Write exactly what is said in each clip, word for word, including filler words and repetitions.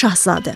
Şahzadə.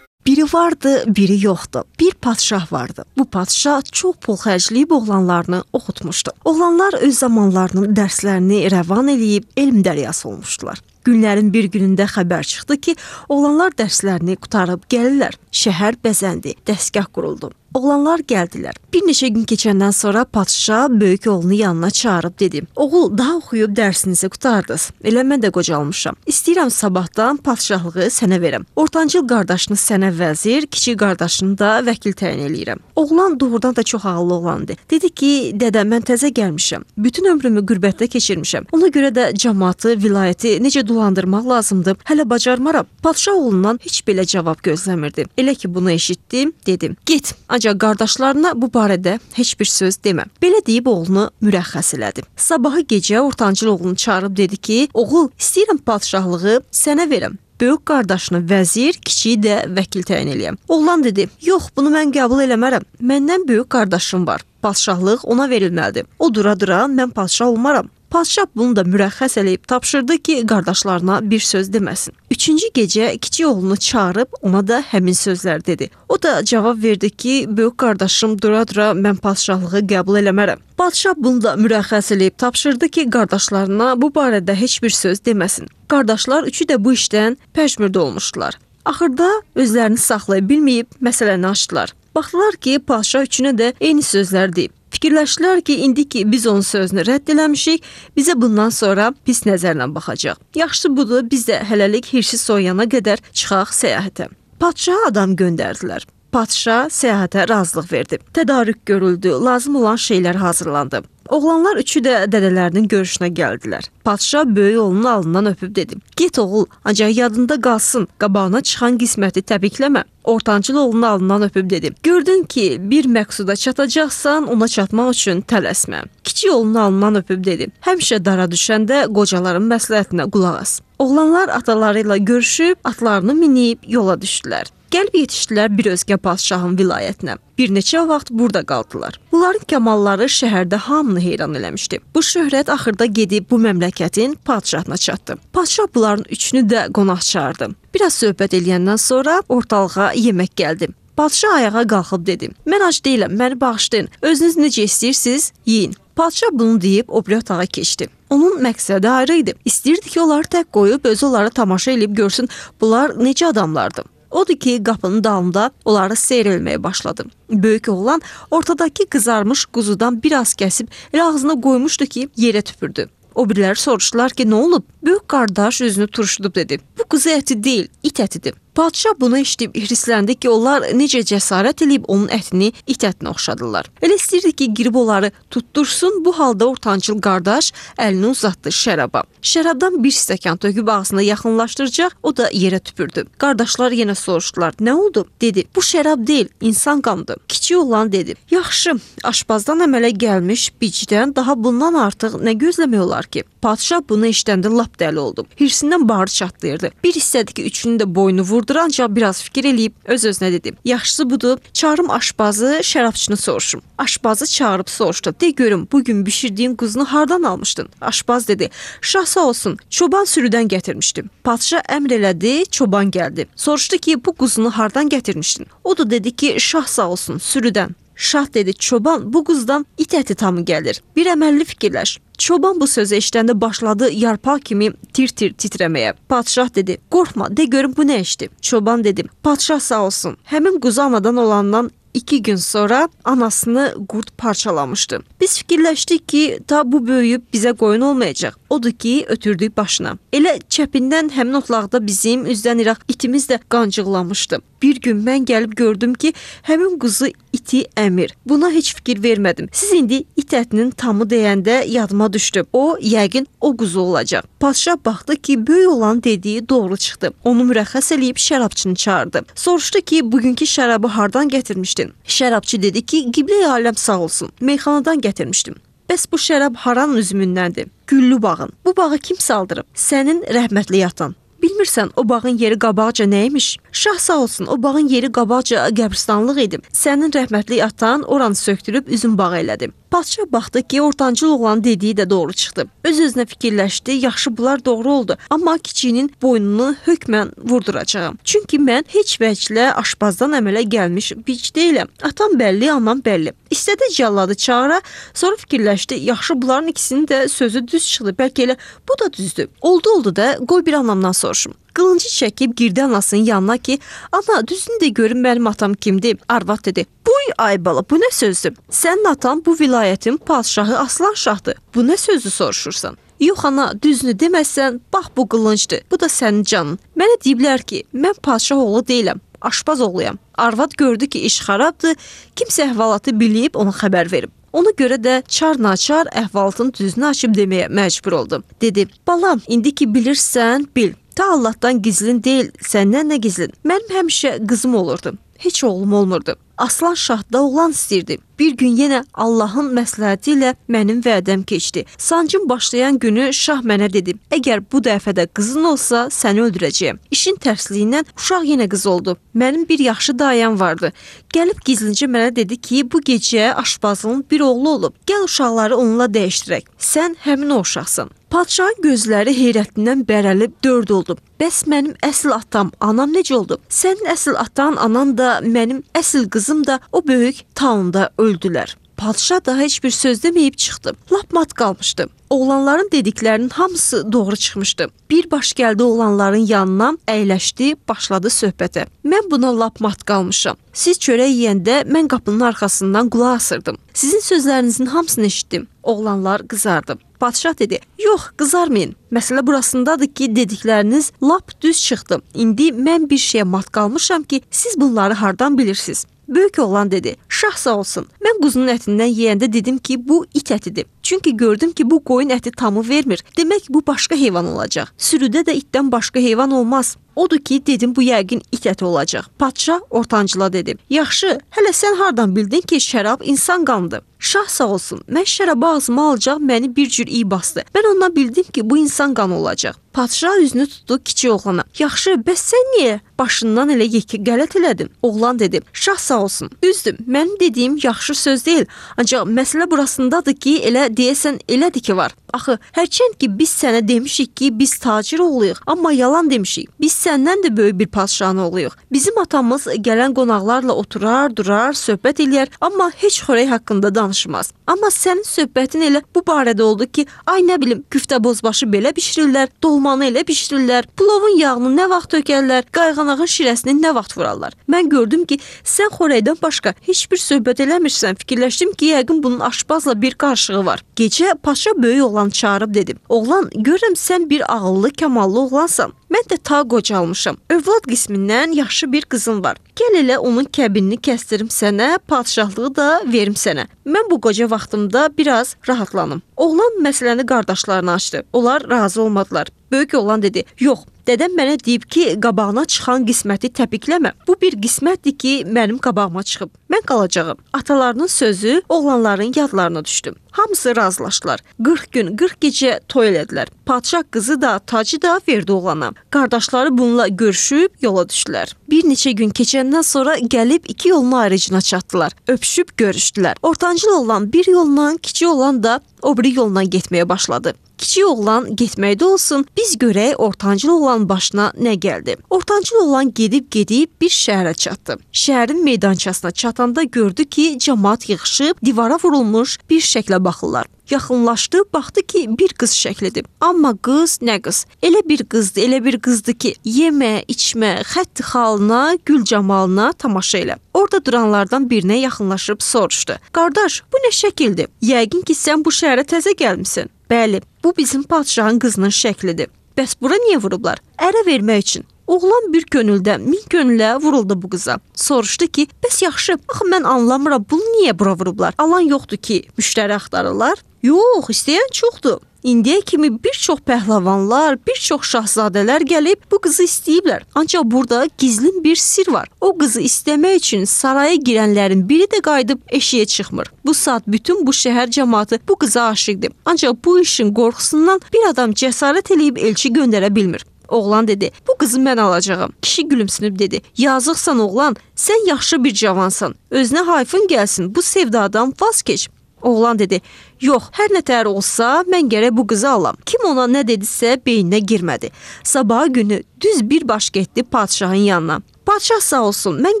Biri vardı, biri yoxdu. Bir padşah vardı. Bu padşah çox pul xərcləyib oğlanlarını oxutmuşdu. Oğlanlar öz zamanlarının dərslərini rəvan eləyib elm dəryası olmuşdular. Günlərin bir günündə xəbər çıxdı ki, oğlanlar dərslərini qutarıb gəlirlər. Şəhər bəzəndi, dəstgah quruldu. Oğlanlar gəldilər. Bir neçə gün keçəndən sonra padşah böyük oğlunu yanına çağırıb dedi: "Oğul, daha oxuyub dərsinizi qutardınız. Elə mən də qocalmışam. İstəyirəm sabahdan padşahlığı sənə verəm. Ortancıl qardaşını sənə vəzir, kiçik qardaşını da vəkil təyin eləyirəm." Oğlan doğrudan da çox ağıllı oğlandı. Dedi ki, "Dədə, mən təzə gəlmişəm. Bütün ömrümü qürbətdə keçirmişəm. Ona görə də cəmaatı, vilayəti necə dolandırmaq lazımdır, hələ bacarmaram." Padşah oğlundan heç belə cavab gözləmirdi. Elə ki bunu eşitdim, dedim: "Get, ancaq qardaşlarına bu barədə heç bir söz demə." Belə deyib oğlunu mürəxxəs elədi. Sabahı gecə ortancıl oğlunu çağırıb dedi ki, "Oğul, istəyirəm padşahlığı sənə verəm. Böyük qardaşını vəzir, kiçiyi də vəkil təyin eləyəm." Oğlan dedi: "Yox, bunu mən qəbul eləmərəm. Məndən böyük qardaşım var. Padşahlıq ona verilməlidir. O dura-dura mən padşah olmaram." Padşah bunu da mürəxxəs eləyib tapşırdı ki, qardaşlarına bir söz deməsin. Üçüncü gecə kiçik oğlunu çağırıb ona da həmin sözlər dedi. O da cavab verdi ki, böyük qardaşım dura-dura mən padşahlığı qəbul eləmərəm. Padşah bunu da mürəxxəs eləyib tapşırdı ki, qardaşlarına bu barədə heç bir söz deməsin. Qardaşlar üçü də bu işdən pəşmürdə olmuşdular. Axırda özlərini saxlaya bilməyib məsələni açdılar. Baxdılar ki, padşah üçünə də eyni sözlər deyib. Fikirləşdilər ki, indi ki biz onun sözünü rədd eləmişik, bizə bundan sonra pis nəzərlə baxacaq. Yaxşısı budur, biz də hələlik hirsi soyuyana qədər çıxaq səyahətə. Padşaha adam göndərdilər. Padşah səyahətə razılıq verdi. Tədarük görüldü, lazım olan şeylər hazırlandı. Oğlanlar üçü də dədələrinin görüşünə gəldilər. Padşah böyük oğlunun alnından öpüb dedi: "Get oğul, ancaq yadında qalsın, qabağına çıxan qisməti təbrikləmə." Ortancıl oğlunun alnından öpüb dedi: "Gördün ki, bir məqsuda çatacaqsan, ona çatmaq üçün tələsmə." Kiçik oğlunun alnından öpüb dedi: "Həmişə dara düşəndə qocaların məsləhətinə qulaq as." Oğlanlar ataları ilə görüşüb, atlarını minib yola düşdülər. Gəlib yetişdilər bir özgə padşahın vilayətinə. Bir neçə vaxt burada qaldılar. Bunların kəmalları şəhərdə hamını heyran eləmişdi. Bu şöhrət axırda gedib bu məmləkətin padşahına çatdı. Padşah bunların üçünü də qonaq çağırdı. Biraz söhbət eləyəndən sonra ortalığa yemək gəldi. Padşah ayağa qalxıb dedi: "Mən ac deyiləm, məni bağışlayın. Özünüz necə istəyirsiniz, yeyin." Padşah bunu deyib o biri otağa keçdi. Onun məqsədi ayrı idi. İstəyirdi ki, onları tək qoyub özü onları tamaşa edib görsün bunlar necə adamlardı. Odur ki, qapının dalında onları seyr etməyə başladı. Böyük oğlan ortadakı qızarmış quzudan biraz kəsib elə ağzına qoymuşdu ki, yerə tüpürdü. O biriləri soruşdular ki, nə olub? Böyük qardaş üzünü turşudub dedi: "Bu quzu əti deyil, it ətidir." Padşah bunu eşidib hirsləndi ki, onlar necə cəsarət eləyib onun ətini it ətinə oxşadılar. Elə istəyirdi ki, girib onları tuttursun, bu halda ortancıl qardaş əlini uzatdı şəraba. Şərabdan bir stəkan töküb ağzına yaxınlaşdıracaq, o da yerə tüpürdü. Qardaşlar yenə soruşdular: "Nə oldu?" dedi. "Bu şərab deyil, insan qanıdır." Kiçik oğlan dedi: "Yaxşı, aşpazdan əmələ gəlmiş bicdən daha bundan artıq nə gözləmək olar ki?" Padşah bunu eşidəndə lap dəli oldu. Hirsindən bağrı çatlayırdı. Bir istədi ki, üçünün də boynu vurdur, ancaq biraz fikir eləyib öz-özünə dedi: "Yaxşısı budur, çağırım aşpazı, şərabçını soruşum." Aşpazı çağırıb soruşdu: "De görüm, bugün bişirdiyin quzunu hardan almışdın?" Aşpaz dedi: "Şah sağ olsun, çoban sürüdən gətirmişdim." Padşah əmr elədi, çoban gəldi. Soruşdu ki, "Bu quzunu hardan gətirmişdin?" O da dedi ki, "Şah sağ olsun, sürüdən." Şah dedi: "Çoban, bu quzdan it əti tamı gəlir. Bir əməlli fikirləş." Çoban bu sözü eşidəndə başladı yarpaq kimi tir-tir titrəməyə. Padşah dedi: "Qorxma, de görüm bu nə işdir?" Çoban dedi: "Padşah sağ olsun, həmin quzu anadan olandan İki gün sonra anasını qurd parçalamışdı. Biz fikirləşdik ki, ta bu böyüyüb bizə qoyun olmayacaq. Odur ki, ötürdük başına. Elə çəpindən həmin otlaqda bizim üzdən iraq itimiz də qancıqlamışdı. Bir gün mən gəlib gördüm ki, həmin quzu iti əmir. Buna heç fikir vermədim. Siz indi it ətinin tamı deyəndə yadıma düşdü. O, yəqin o quzu olacaq." Padşah baxdı ki, böyük olan dediyi doğru çıxdı. Onu mürəxxəs eləyib şərabçını çağırdı. Soruşdu ki, bugünkü şərabı hardan gətirmişdin? Şərabçı dedi ki, Qiblə-i aləm sağ olsun, meyxanadan gətirmişdim. Bəs bu şərab haranın üzümündəndir? Güllü bağın. Bu bağı kim saldırıb? Sənin rəhmətli yatan. Bilmirsən, o bağın yeri qabaqca nəymiş? Şah sağ olsun, o bağın yeri qabaqca qəbristanlıq idi. Sənin rəhmətli atan oranı söktürüb üzüm bağı elədi. Padşah baxdı ki, ortancıl oğlan dediyi də doğru çıxdı. Öz-özünə fikirləşdi, yaxşı bunlar doğru oldu. Amma kiçiyinin boynunu hökmən vurduracağam. Çünki mən heç vəclə aşpazdan əmələ gəlmiş bic deyiləm. Atam bəlli, anam bəlli. İstədi cəlladı çağıra, sonra fikirləşdi, yaxşı bunların ikisinin də sözü düz çıxdı. Bəlkə elə bu da düzdür. Oldu oldu da qoy bir anamdan soruşum. Qılıncı çəkib girdi anasının yanına ki, ana düzünü də görün mənim atam kimdir? Arvad dedi, buy ay bala, bu nə sözdür? Sənin atan bu vilayətin padşahı Aslan Şahdır. Bu nə sözdür soruşursan? Yox ana, düzünü deməzsən, bax bu qılıncdır. Bu da sənin canın. Mənə deyiblər ki, mən padşah oğlu deyiləm. Aşpaz oğluyam. Arvad gördü ki, iş xarabdır. Kimsə əhvalatı bilib ona xəbər verib. Ona görə də çar-naçar əhvalatın düzünü açıb deməyə məcbur oldu. Dedi, balam, indi ki bilirsən, bil. Ta Allahdan gizlin deyil, səndən nə gizlin? Mənim həmişə qızım olurdu. Heç oğlum olmurdu. Aslan Şah da oğlan istəyirdi. Bir gün yenə Allahın məsləhəti ilə mənim vədəm keçdi. Sancım başlayan günü Şah mənə dedi, əgər bu dəfə də qızın olsa, səni öldürəcəyəm. İşin tərsliyindən uşaq yenə qız oldu. Mənim bir yaxşı dayam vardı. Gəlib gizlincə mənə dedi ki, bu gecə aşpazlığın bir oğlu olub. Gəl uşaqları onunla dəyişdirək. Sən həmin o uşaqsan. Padşahın gözləri heyrətindən bərəlib dörd oldu. Bəs mənim əsl atam, anam necə oldu? Sənin əsl atan, anan da, mənim əsl qızım da o böyük taunda öldülər. Padşah da heç bir söz deməyib çıxdı. Lap mat qalmışdı. Oğlanların dediklərinin hamısı doğru çıxmışdı. Bir baş gəldi oğlanların yanına, əyləşdi, başladı söhbətə. Mən buna lap mat qalmışam. Siz çörək yeyəndə mən qapının arxasından qulaq asırdım. Sizin sözlərinizin hamısını eşitdim. Oğlanlar qızardı. Padşah dedi, yox, qızarmayın. Məsələ burasındadır ki, dedikləriniz lap düz çıxdı. İndi mən bir şeyə mat qalmışam ki, siz bunları hardan bilirsiniz? Böyük oğlan dedi, şah sağ olsun. Mən quzunun ətindən yeyəndə dedim ki, bu it ətidir. Çünki gördüm ki, bu qoyun əti tamı vermir. Demək bu başqa heyvan olacaq. Sürüdə də itdən başqa heyvan olmaz. Odur ki, dedim bu yəqin it əti olacaq. Padşah ortancıla dedi, yaxşı, hələ sən hardan bildin ki, şərab insan qanıdır? Şah sağ olsun, mən şərabı ağzıma alacaq məni bir cür iyi bastı. Mən ondan bildim ki, bu insan qanı olacaq. Padşah üzünü tutdu kiçik oğlana. Yaxşı, bəs sən niyə başından elə yekə qələt elədin? Oğlan dedi, şah sağ olsun. Düzdür, mənim dediyim yaxşı söz deyil. Ancaq məsələ burasındadır ki, elə deyəsən elədir ki var. Axı, hərçənd ki biz sənə demişik ki, biz tacir oğluyuq, amma yalan demişik. Biz səndən də böyük bir padşahın oğluyuq. Bizim atamız gələn qonaqlarla oturar, durar, söhbət eləyər, amma heç xörək haqqında danışmaz. Amma sənin söhbətin elə bu barədə oldu ki, ay nə bilim, küftə bozbaşı belə bişirirlər, dolmanı elə bişirirlər, plovun yağını nə vaxt tökərlər, qayğanağın şirəsini nə vaxt vurarlar. Mən gördüm ki, sən xörəkdən başqa heç bir söhbət eləmirsən. Fikirləşdim ki, yəqin bunun aşpazla bir qarşılığı var. Gecə padşah böyük oğlan çağırıb dedim, oğlan, görürəm sən bir ağıllı, kamallı oğlansan. Mən də ta qocalmışam. Övlad qismindən yaxşı bir qızım var. Gəl elə onun kəbinini kəstirim sənə, padşahlığı da verim sənə. Mən bu qoca vaxtımda biraz rahatlanım. Oğlan məsələni qardaşlarına açdı. Onlar razı olmadılar. Böyük oğlan dedi, yox, dədəm mənə deyib ki, qabağına çıxan qisməti təpikləmə. Bu bir qismətdir ki, mənim qabağıma çıxıb. Mən qalacağım. Atalarının sözü oğlanların yadlarına düşdü. Hamısı razılaşdılar. qırx gün, qırx gecə toy elədilər. Padşah qızı da, tacı da verdi oğlana. Qardaşları bununla görüşüb yola düşdülər. Bir neçə gün keçəndən sonra gəlib iki yolun ayrıcına çatdılar. Öpüşüb görüşdülər. Ortancıl oğlan bir yolla, kiçik oğlan da o biri yolla getməyə başladı. Kiçik oğlan getməkdə olsun, biz görək ortancıl oğlanın başına nə gəldi. Ortancıl oğlan gedib-gedib bir şəhərə çatdı. Şəhərin meydançasına çatanda gördü ki, cəmaat yığışıb divara vurulmuş bir şəklə baxırlar. Yaxınlaşdı, baxdı ki, bir qız şəklidir. Amma qız nə qız? Elə bir qızdı, elə bir qızdı ki, yemə, içmə, xətt xalına, gül camalına tamaşa elə. Orada duranlardan birinə yaxınlaşıb soruşdu. Qardaş, bu nə şəkildir? Yəqin ki, sən bu şəhərə təzə gəlmisən. Bəli, bu bizim padşahın qızının şəklidir. Bəs bura niyə vurublar? Ərə vermək üçün. Oğlan bir könüldə, min könülə vuruldu bu qıza. Soruşdu ki, bəs yaxşı, axı mən anlamıram, bunu niyə bura vurublar? Alan yoxdur ki, müştəri axtarırlar? Yox, istəyən çoxdur. İndiyə kimi bir çox pəhləvanlar, bir çox şahzadələr gəlib bu qızı istəyiblər. Ancaq burada gizlin bir sir var. O qızı istəmək üçün saraya girənlərin biri də qayıdıb eşiyə çıxmır. Bu saat bütün bu şəhər cəmaatı bu qıza aşiqdir. Ancaq bu işin qorxusundan bir adam cəsarət eləyib elçi göndərə bilmir. Oğlan dedi, bu qızı mən alacağım. Kişi gülümsünüb dedi, yazıqsan oğlan, sən yaxşı bir cavansan. Özünə hayfın gəlsin, bu sevdadan vaz keç. Oğlan dedi, yox, hər nətər olsa mən gərək bu qızı alam. Kim ona nə dedisə beyninə girmədi. Sabahı günü düz bir baş getdi padşahın yanına. Padşah sağ olsun, mən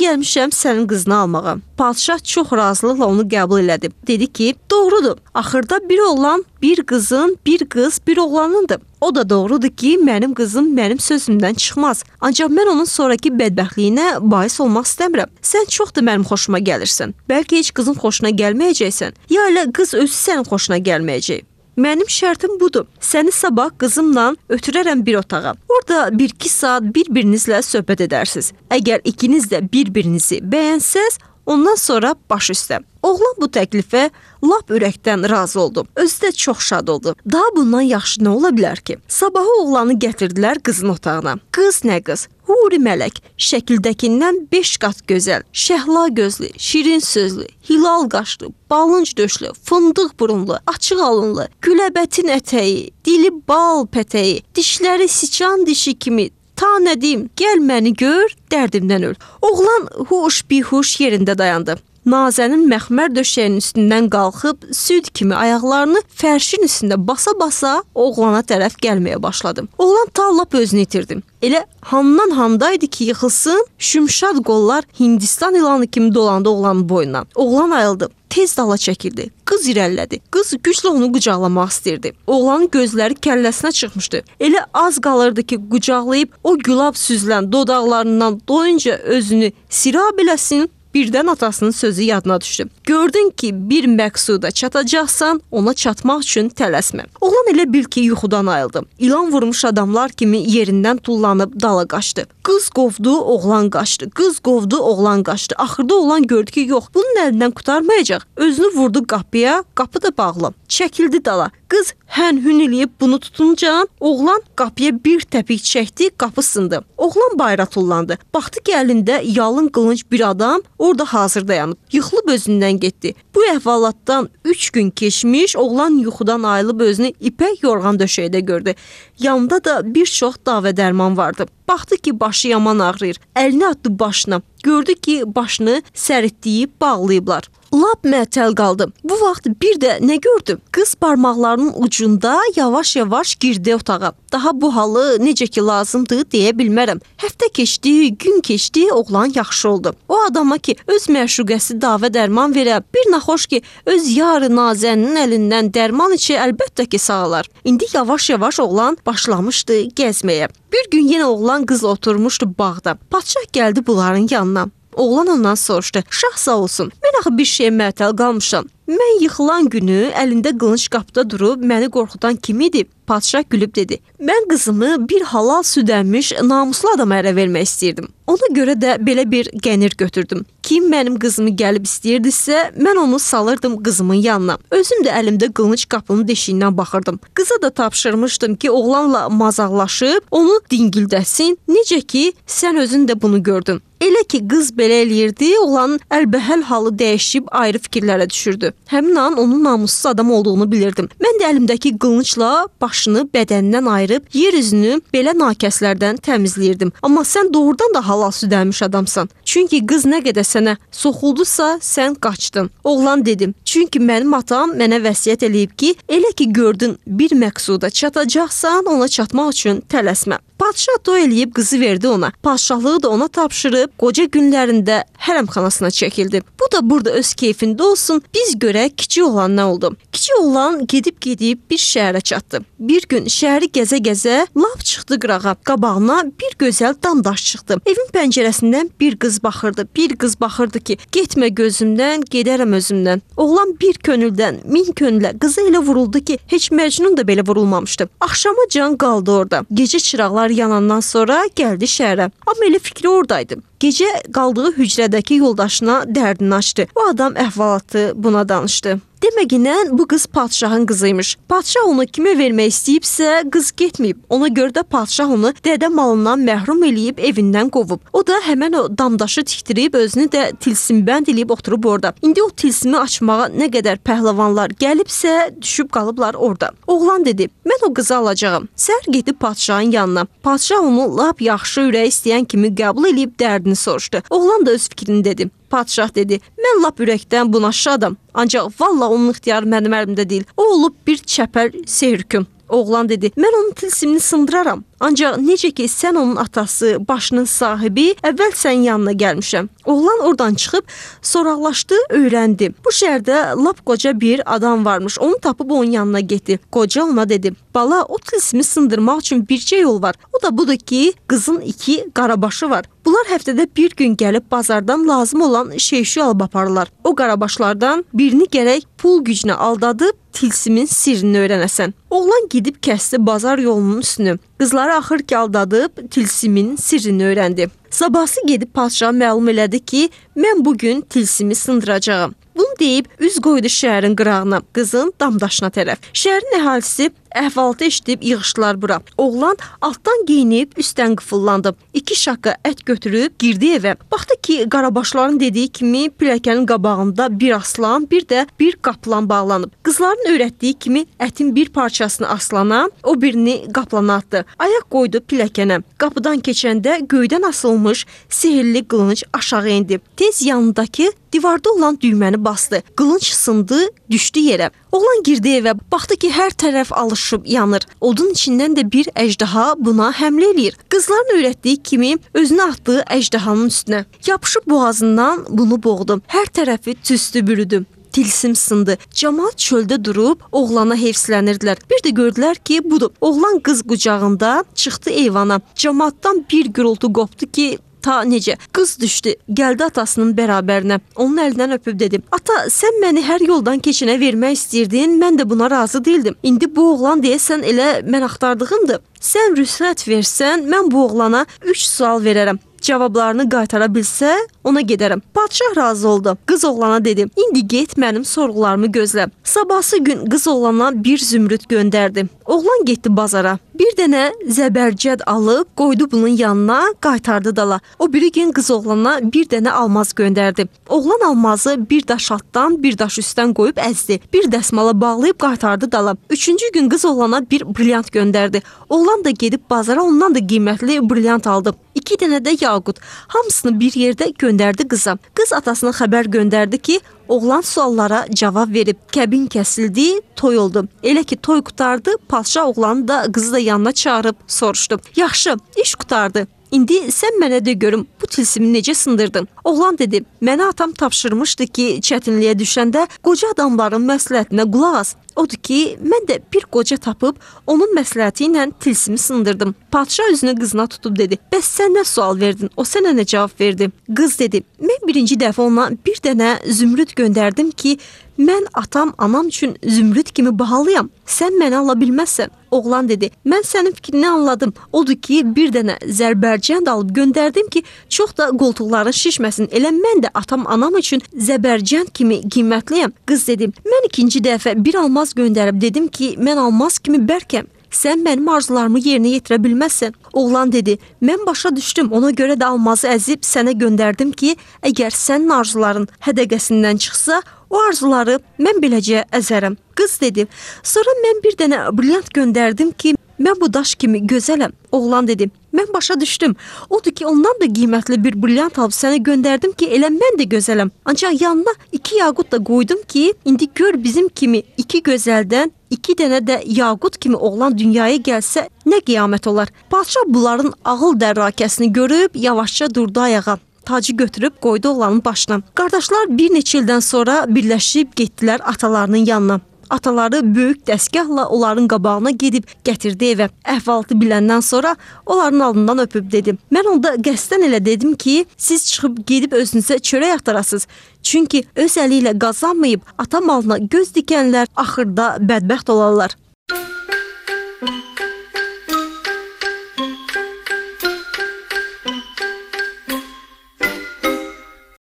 gəlmişəm sənin qızını almağa. Padşah çox razılıqla onu qəbul elədi. Dedi ki, doğrudur, axırda bir oğlan, bir qızın, bir qız, bir oğlanındır. O da doğrudur ki, mənim qızım mənim sözümdən çıxmaz. Ancaq mən onun sonraki bədbəxtliyinə bais olmaq istəmirəm. Sən çox da mənim xoşuma gəlirsən. Bəlkə heç qızın xoşuna gəlməyəcəksən. Ya elə qız özü sənin xoşuna gəlməyəcək. Mənim şərtim budur. Səni sabah qızımla ötürərəm bir otağa. Orada bir-iki saat bir-birinizlə söhbət edərsiniz. Əgər ikiniz də bir-birinizi bəyənsəz, ondan sonra baş üstə. Oğlan bu təklifə lap ürəkdən razı oldu. Özü də çox şad oldu. Daha bundan yaxşı nə ola bilər ki? Sabahı oğlanı gətirdilər qızın otağına. Qız nə qız? Huri mələk, şəkildəkindən beş qat gözəl, şəhla gözlü, şirin sözlü, hilal qaşlı, balınc döşlü, fındıq burunlu, açıq alınlı, güləbətin ətəyi, dili bal pətəyi, dişləri siçan dişi kimi. Ta nə deyim, gəl məni gör, dərdimdən öl. Oğlan huş bihuş yerində dayandı. Nazənin məxmər döşəyinin üstündən qalxıb süd kimi ayaqlarını fərşin üstündə basa-basa oğlana tərəf gəlməyə başladı. Oğlan ta lap özünü itirdi. Elə handan handaydı ki, yıxılsın, şümşad qollar Hindistan ilanı kimi dolandı oğlanın boynuna. Oğlan ayıldı. Tez dala çəkildi. Qız irəlilədi. Qız güclə onu qucaqlamaq istirdi. Oğlanın gözləri kəlləsinə çıxmışdı. Elə az qalırdı ki, qucaqlayıb o gülab süzülən dodaqlarından doyunca özünü sira biləsin. Birdən atasının sözü yadına düşdü. Gördün ki, bir məqsuda çatacaqsan, ona çatmaq üçün tələsmə. Oğlan elə bil ki, yuxudan ayıldı. İlan vurmuş adamlar kimi yerindən tullanıb dala qaçdı. Qız qovdu, oğlan qaçdı. Qız qovdu, oğlan qaçdı. Axırda oğlan gördü ki, yox, bunun əlindən qurtarmayacaq. Özünü vurdu qapıya, qapı da bağlı. Çəkildi dala. Qız hən-hün eləyib bunu tutunca, oğlan qapıya bir təpik çəkdi, qapı sındı. Oğlan bayra tullandı. Baxdı ki, əlində yalın qılınc bir adam orada hazır dayanıb. Yıxılıb özündən getdi. Bu əhvalatdan üç gün keçmiş, oğlan yuxudan ayılıb özünü ipək yorğan döşəkdə gördü. Yanında da bir çox davə dərman vardı. Baxdı ki, başı yaman ağrıyır. Əlini atdı başına. Gördü ki, başını səritdiyib bağlayıblar. Lap məətəl qaldı. Bu vaxt bir də nə gördü? Qız barmaqlarının ucunda yavaş-yavaş girdi otağa. Daha bu halı necə ki lazımdır deyə bilmərəm. Həftə keçdi, gün keçdi, oğlan yaxşı oldu. O adama ki, öz məşuqəsi davə dərman verə, bir naxoş ki, öz yarı nazənin əlindən dərman içi əlbəttə ki sağlar. İndi yavaş-yavaş oğlan başlamışdı gəzməyə. Bir gün yenə oğlan qızla oturmuşdu bağda. Padşah gəldi bunların yanına. Oğlan ondan soruşdu. Şah sağ olsun, mən axı bir şeyə məətəl qalmışam. Mən yıxılan günü əlində qılınc qapıda durub məni qorxudan kim idi? Padşah gülüb dedi. Mən qızımı bir halal süd əmmiş namuslu adama ərə vermək istəyirdim. Ona görə də belə bir qənir götürdüm. Kim mənim qızımı gəlib istəyirdisə, mən onu salırdım qızımın yanına. Özüm də əlimdə qılınc qapının deşiyindən baxırdım. Qıza da tapşırmışdım ki, oğlanla mazaqlaşıb onu dingildəsin. Necə ki, sən özün də bunu gördün. Elə ki, qız belə eləyirdi, oğlanın əlbəhəl halı dəyişib ayrı fikirlərə düşürdü. Həmin an onun namussuz adam olduğunu bilirdim. Mən də əlimdəki qılıncla başını bədənindən ayırıb yer üzünü belə nakəslərdən təmizləyirdim. Amma sən doğrudan da halal süd əmmiş adamsan. Çünki qız nə qədər sənə soxuldusa, sən qaçdın. Oğlan dedim. Çünki mənim atam mənə vəsiyyət eləyib ki, elə ki gördün bir məqsuda çatacaqsan, ona çatmaq üçün tələsmə. Padşah toy eləyib qızı verdi ona. Padşahlığı da ona tapşırıb qoca günlərində hərəmxanasına çəkildi. Bu da burada öz keyfində olsun. Biz görək kiçik oğlan nə oldu. Kiçik oğlan gedib-gedib bir şəhərə çatdı. Bir gün şəhəri gəzə-gəzə lap çıxdı qırağa. Qabağına bir gözəl damdaş çıxdı. Evin pəncərəsindən bir qız baxırdı. Bir qız baxırdı ki, getmə gözümdən, gedərəm özümdən. Oğlan bir könüldən, min könülə qıza elə vuruldu ki, heç Məcnun da belə vurulmamışdı. Axşama can qaldı orada. Gecə çıraqlar yanandan sonra gəldi şəhərə. Amma elə fikri oradaydı. Gecə qaldığı hücrədəki yoldaşına dərdini açdı. O adam əhvalatı buna danışdı. Deməginən bu qız padşahın qızıymış. Padşah onu kimə vermək istəyibsə, qız getməyib. Ona görə də padşah onu dədə malından məhrum eləyib evindən qovub. O da həmən o damdaşı tikdirib, özünü də tilsimbənd eləyib oturub orada. İndi o tilsimi açmağa nə qədər pəhləvanlar gəlibsə, düşüb qalıblar orada. Oğlan dedi, mən o qızı alacağam. Səhər gedib padşahın yanına. Padşah onu lap yaxşı ürək istəyən kimi qəbul eləyib dərdini soruşdu. Oğlan da öz fikrini dedi. Padşah dedi: "Mən lap ürəkdən buna şadam. Ancaq valla onun ixtiyarı mənim əlimdə deyil. O olub bir çəpəl sehrkün." Oğlan dedi: "Mən onun tilsimini sındıraram. Ancaq necə ki sən onun atası, başının sahibi, əvvəl sənin yanına gəlmişəm." Oğlan oradan çıxıb soraqlaşdı, öyrəndi. Bu şəhərdə lap qoca bir adam varmış. Onu tapıb onun yanına getdi. Qoca ona dedi: "Bala, o tilsimi sındırmaq üçün bircə yol var. O da budur ki, qızın iki qarabaşı var. Bunlar həftədə bir gün gəlib bazardan lazım olan şey-şüy alıb aparırlar. O qarabaşlardan birini gərək pul gücünə aldadıb tilsimin sirrini öyrənəsən." Oğlan gedib kəsdi bazar yolunun üstünü. Qızları axır ki aldadıb tilsimin sirrini öyrəndi. Sabahsı gedib padşaha məlum elədi ki, mən bugün tilsimi sındıracağam. Bunu deyib üz qoydu şəhərin qırağına, qızın damdaşına tərəf. Şəhərin əhalisi əhvalatı eşidib yığışdılar bura. Oğlan altdan geyinib üstdən qıfıllandı. İki şaqqa ət götürüb girdi evə. Baxdı ki, qarabaşların dediyi kimi pilləkənin qabağında bir aslan, bir də bir qaplan bağlanıb. Qızların öyrətdiyi kimi ətin bir parçasını aslana, o birini qaplana atdı. Ayaq qoydu pilləkənə. Qapıdan keçəndə göydən asılmış sehirli qılınc aşağı indi. Tez yanındakı divarda olan düyməni bastı. Qılınc sındı, düşdü yerə. Oğlan girdi evə, baxdı ki, hər tərəf alışıb yanır. Odun içindən də bir əjdaha buna həmlə eləyir. Qızların öyrətdiyi kimi özünü atdığı əjdahanın üstünə. Yapışıb boğazından bunu boğdu. Hər tərəfi tüstü bürüdü. Tilsim sındı. Camaat çöldə durub oğlana heyfslənirdilər. Bir də gördülər ki, budur. Oğlan qız qucağında çıxdı eyvana. Camaatdan bir gürültü qopdu ki, ta necə? Qız düşdü, gəldi atasının bərabərinə. Onun əlindən öpüb dedi: "Ata, sən məni hər yoldan keçinə vermək istəyirdin, mən də buna razı değildim. İndi bu oğlan deyəsən elə mən axtardığımdır. Sən rüsvət versən, mən bu oğlana üç sual verərəm. Cavablarını qaytara bilsə, ona gedərəm." Padşah razı oldu. Qız oğlana dedi: "İndi get, mənim sorğularımı gözlə." Sabahsı gün qız oğlana bir zümrüd göndərdi. Oğlan getdi bazara. Bir dənə zəbərcəd alıb qoydu bunun yanına, qaytardı dala. O biri gün qız oğlana bir dənə almaz göndərdi. Oğlan almazı bir daş altdan, bir daş üstdən qoyub əzdi. Bir dəsmala bağlayıb qaytardı dala. Üçüncü gün qız oğlana bir brilyant göndərdi. Oğlan da gedib bazara ondan da qiymətli brilyant aldı. İki dənə də yaqut. Hamısını bir yerdə göndərdi qıza. Qız atasına xəbər göndərdi ki, oğlan suallara cavab verib. Kəbin kəsildi, toy oldu. Elə ki toy qutardı, padşah oğlanı da qızı da yanına çağırıb soruşdu: "Yaxşı, iş qutardı. İndi sən mənə de görüm, bu tilsimi necə sındırdın?" Oğlan dedi: "Mənə atam tapşırmışdı ki, çətinliyə düşəndə qoca adamların məsləhətinə qulaq as. Odur ki, mən də bir qoca tapıb onun məsləhəti ilə tilsimi sındırdım." Padşah üzünü qızına tutub dedi: "Bəs sən nə sual verdin? O sənə nə cavab verdi?" Qız dedi: "Mən birinci dəfə ona bir dənə zümrüd göndərdim ki, mən atam, anam üçün zümrüd kimi bahalıyam. Sən məni ala bilməzsən." Oğlan dedi: "Mən sənin fikrini anladım. Odur ki, bir dənə zərbərcənd alıb göndərdim ki, çox da qoltuqların şişməsin. Elə mən də atam, anam üçün zəbərcənd kimi qiymətliyəm." Qız dedi: "Mən ikinci dəfə bir almaz göndərib dedim ki, mən almaz kimi bərkəm. Sən mənim arzularımı yerinə yetirə bilməzsən." Oğlan dedi: "Mən başa düşdüm. Ona görə də almazı əzib sənə göndərdim ki, əgər sənin arzuların hədəqəsindən çıxsa, o arzuları mən beləcə əzərəm." Qız dedi: "Sonra mən bir dənə brilyant göndərdim ki, mən bu daş kimi gözələm." Oğlan dedi: "Mən başa düşdüm. Odur ki, ondan da qiymətli bir brilyant alıb sənə göndərdim ki, elə mən də gözələm. Ancaq yanına iki yaqut da qoydum ki, indi gör bizim kimi iki gözəldən iki dənə də yaqut kimi oğlan dünyaya gəlsə nə qiyamət olar." Padşah bunların ağıl dərrakəsini görüb yavaşca durdu ayağa. Tacı götürüb qoydu oğlanın başına. Qardaşlar bir neçə ildən sonra birləşib getdilər atalarının yanına. Ataları böyük dəstgahla onların qabağına gedib gətirdi evə. Əhvalatı biləndən sonra onların alnından öpüb dedi: "Mən onda qəsdən elə dedim ki, siz çıxıb gedib özünüzə çörək axtarasınız. Çünki öz əli ilə qazanmayıb ata malına göz dikənlər axırda bədbəxt olarlar."